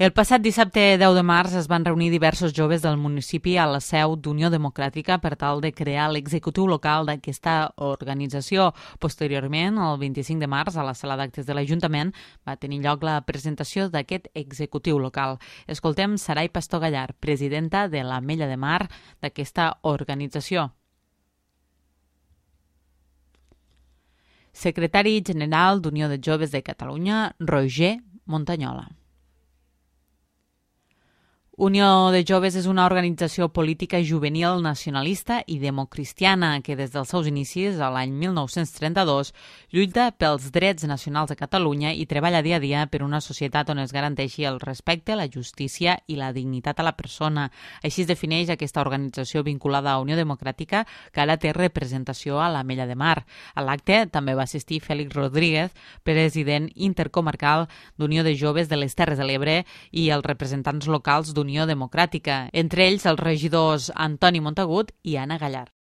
El passat dissabte 10 de març es van reunir diversos joves del municipi a la seu d'Unió Democràtica per tal de crear l'executiu local d'aquesta organització. Posteriorment, el 25 de març, a la sala d'actes de l'Ajuntament, va tenir lloc la presentació d'aquest executiu local. Escoltem Sarai Pastor Gallar, presidenta de l'Ametlla de Mar d'aquesta organització. Secretari general d'Unió de Joves de Catalunya, Roger Montañola. Unió de Joves és una organització política juvenil nacionalista i democristiana que des dels seus inicis, a l'any 1932, lluita pels drets nacionals de Catalunya i treballa dia a dia per una societat on es garanteixi el respecte, la justícia i la dignitat a la persona. Així es defineix aquesta organització vinculada a Unió Democràtica, que ara té representació a l'Ametlla de Mar. A l'acte també va assistir Félix Rodríguez, president intercomarcal d'Unió de Joves de les Terres de l'Ebre, i els representants locals d'Unió Democràtica, entre ells els regidors Antoni Montagut i Anna Gallar.